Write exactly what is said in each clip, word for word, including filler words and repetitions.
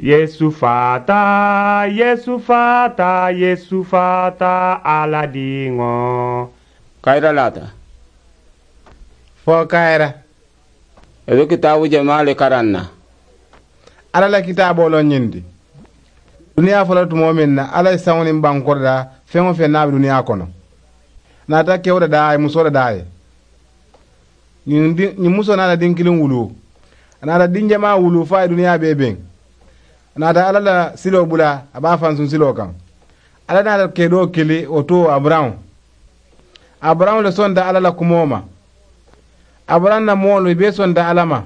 Yeesu faata, Yeesu faata, Yeesu faata, Alla diŋo. Kayira laata. Fo kayira. I be kitaabu jamaa le karaŋ na. Alla la kitaaboo loŋ ñiŋ ti. Duniyaa fo la tumoo meŋ na, Alla ye saŋo niŋ bankoo le daa, feŋ-wo-feŋ niŋ a be duniyaa kono. A naata kewo le daa a ye musoo le daa a ye. Ñiŋ di ñiŋ musoo naata diŋ kiliŋ wuluu. A naata diŋ jamaa wuluu fo a ye duniyaa bee beŋ. A naata alla la siloo bula, a be a fansuŋ siloo kaŋ. Alla naata kedoo kili wo to aburahamu. Aburahamu le sonta alla la kumoo ma. Aburahamu la moolu i bee sonta alla ma.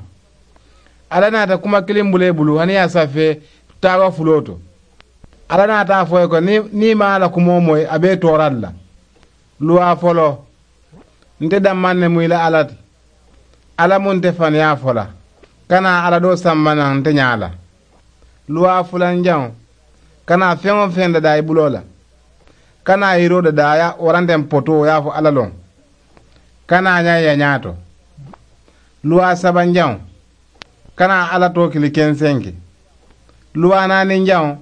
Alla naata kuma kiliŋ bula i bulu hani ye a safee taawa fuloo to. Alla naata a fo i ye ko niŋ i maŋ alla kumoo moyi a be i toora le la. Luwaa foloo. Nte dammaŋ ne mu i la alla ti. Alla mu nte faniyaa fo la. Kana alla doo samba naŋ nte ñaa la. Luwaa fulanjaŋo. Kana feŋ-wo-feŋ dadaa i buloo la. Kana yiroo dadaa ye a waranteŋ potoo ye a fo alla loŋ. Kana a ñaa i ye a ñaato. Luwaa sabanjaŋo. Kana alla too kili kensenke. Luwaa naaninjaŋo.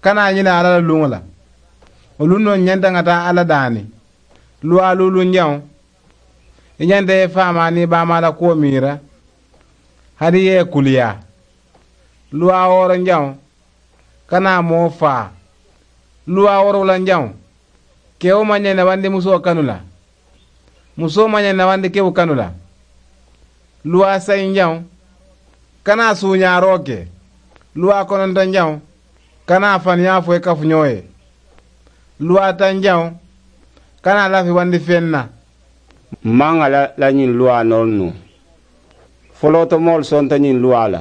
Kana a ñina alla la luŋo la. Wo luŋ noŋ ñanta ŋa taa alla daani. Luwaa luulunjaŋo. I ñanta i faamaa niŋ i baamaa la kuwo miira. Hani i ye i kuliyaa. Luwaa wooronjaŋo. Kana moo faa. Luwaa woorowulanjaŋo. Kewo maŋ ñaŋ newandi musoo kanu la. Musoo maŋ ñaŋ newandi kewo kanu la. Luwaa sayinjaŋo. Kana suuñaaroo ke. Luwaa konontonjaŋo. Kana faniyaa fo i kafuñoo ye. Luwaa tanjaŋo. Kana lafiwandi feŋ na. M maŋ a la la ñiŋ luwaa noolu nuŋ. Folootomoolu sonta ñiŋ luwaa la.